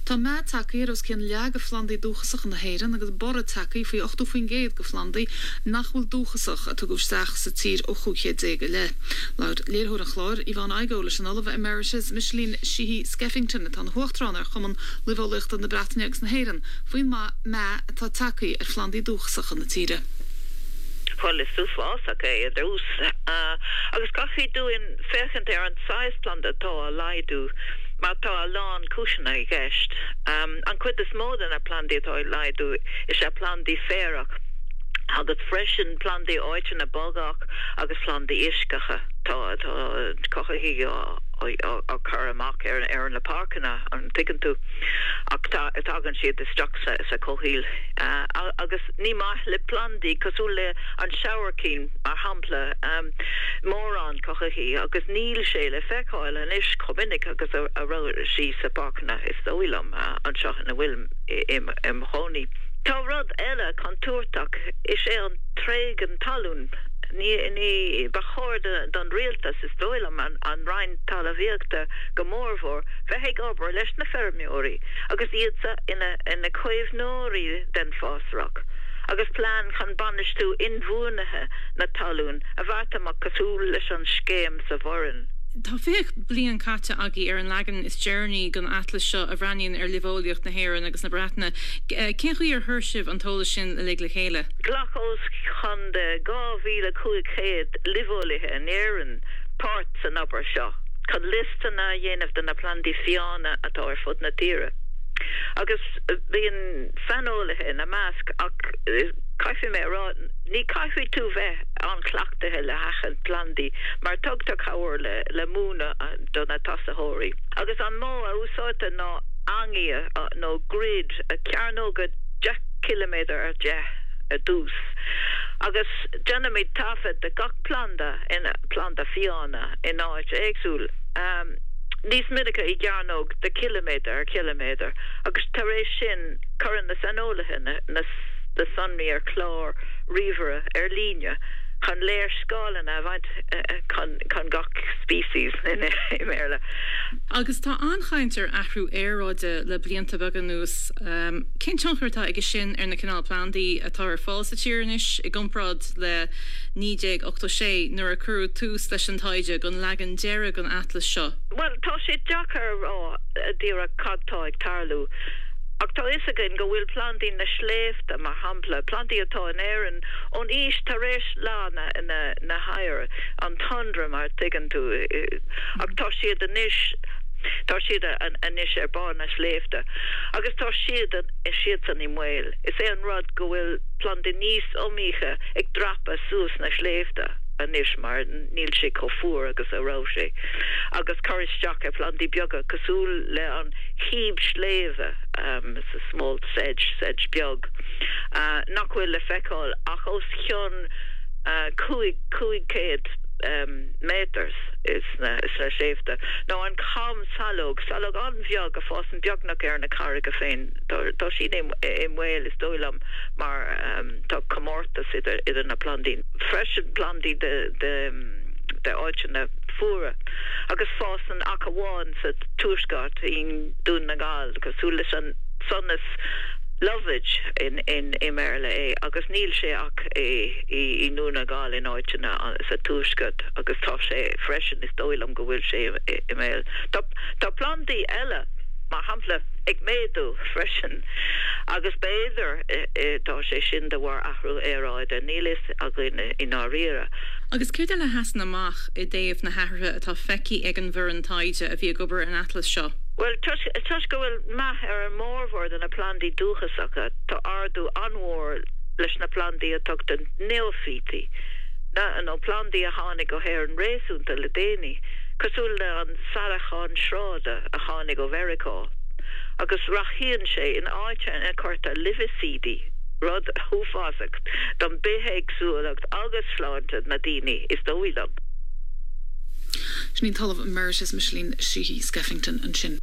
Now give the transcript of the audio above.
Tá meath tagtha ar os cionn leath de phlandaí dúchasacha na hÉireann agus borradh tagtha faoi 80% de phlandaí nach bhfuil dúchasach a tugadh isteach sa tír ó 15 chéad i leith. Labhair léiritheoir an chláir, Yvonne Igoe, leis an Ollamh Emeritus Micheline Sheehy-Skeffington, atá ina huachtarán ar Chumann Luibheolaíochta na Breataine agus na hÉireann, faoin meath atá tagtha ar phlandaí dúchasacha na tíre. Bhuel, is uafásach é i dtús, agus caithfidh dúinn féachaint ar an saghas planda atá á laghdú mar tá a lán cúiseanna i gceist. An cuid is mó de na plandaí atá ag laghdú is ea plandaí féarach agus freisin plandaí áiteanna bogach agus plandaí uisceacha. Tá cothaithigh á cur amach ar na páirceanna, an dtuigeann tú, ach tagann siad isteach sa chomhshaol agus ní maith le plandaí cosúil le an sabhaircín, mar shampla, mórán cothaithigh agus níl sé le feiceáil anois chomh minic agus a raibh sí sa pháirceanna, is dóigh liom, anseo ina bhfuilim im chónaí. Tá rud eile contúirteach, is é an tréigean talún. Ní, ba chóir don rialtas, is dóigh liom, an Roinn Talmhaíochta go mórmhór, bheith ag obair leis na feirmeoirí agus iadsan ina caomhnóirí den fásrach, agus plean chun bainistiú inbhuanaithe na talún a bheart amach cosúil leis an scéim sa Bhoireann. Tá 20 bliain caite agaibh ar an leagan is deireanaí den atlas seo a bhreathnaíonn ar luibheolaíocht na hÉireann agus na Breataine. Cén chaoi ar chuir sibh an t-eolas sin uilig le chéile? Ghlac os cionn de 2,500 luibheolaithe in Éirinn páirt san obair seo chun liostanna a dhéanamh de na plandaí fiáine atá ar fud na tíre. Agus bíonn saineolaithe ina measc ach caithfidh mé a rá, ní caithfidh tú bheith an-chleachtaithe le haithint plandaí mar tugtar cabhair le múineadh do na tosaitheoirí. Agus an modh a úsáidtear ná eangaí nó grid, cearnóga 10 ciliméadar ar 10 ar dtús, agus déanaimid taifead de gach planda, planda fiáine in áit éagsúil, níos minice i gcearnóg de chiliméadar ar chiliméadar, agus tar éis sin cuireann na saineolaithe na sonraí ar chlár ríomhaire ar líne chun léarscáileanna a bhaint chun gach species i mBéarla. Agus tá an-chaint ar athrú aeráide le blianta beaga anuas. Cén tionchar atá aige sin ar na cineál plandaí atá ar fáil sa tír anois i gcomparáid le 1986 nuair a cuireadh tús leis an taighde don leagan deiridh den atlas seo? Bhuel, tá sé deacair a rá díreach cad tá ag tarlú. Ach tá fhios againn go bhfuil plandaí na sléibhte, mar shampla, plandaí atá in Éirinn ón aois tar éis leá na hoighir, an tundra mar a tuigeann tú, ach tá siad anois, tá siad anois ar barr na sléibhte agus tá siad, siadsan i mbaol. Is é an rud go bhfuil plandaí níos iomaíche ag dreapadh suas na sléibhte anois mar níl sé chomh fuar agus a raibh sé agus cur isteach ar phlandaí beaga cosúil le an chíb sléibhe, small sedge, sedge beag, nach bhfuil le feiceáil ach os cionn 5, 500 méadar sna sléibhte, nó an chamshalóg, salóg an-bheag a fásann beagnach ar na carraige féin. Tá sí i mbaol, is dóigh liom, mar tá comórtas idir na plandaí. Freisin plandaí de áiteanna fuara agus fásann ach amháin sa tuaisceart. i nDún na nGall, cosúil leis an sonas lovage i mBéarla é, agus níl sé ach i nDún na nGall in áiteanna sa tuaisceart agus tá sé freisin, is dóigh liom go bhfuil sé i mbaol. Tá plandaí eile, mar shampla, ag méadú freisin agus b'fhéidir tá sé sin de bharr athrú aeráide, níl fhios againn i ndáiríre. Agus céard eile a sheasann amach i dtaobh na hathruithe atá feicthe ag an bhfoireann taighde a bhí ag obair ar an atlas seo? Bhuel, toisc go bhfuil meath ar an mórmhór de na plandaí dúchasacha, tá ardú an-mhór leis na plandaí a tugtar neoifítí, nó plandaí a tháinig go hÉirinn réasúnta le déanaí, cosúil le an saileachán sráide a tháinig ó Mheiriceá, agus rachaíonn sé in áiteanna ina cuirtear luibhicídí, rud uafásach don bithéagsúlacht agus sláinte na daoine, is dóigh liom. Sin í an tOllamh Emeritus Micheline Sheehy Skeffington ansin.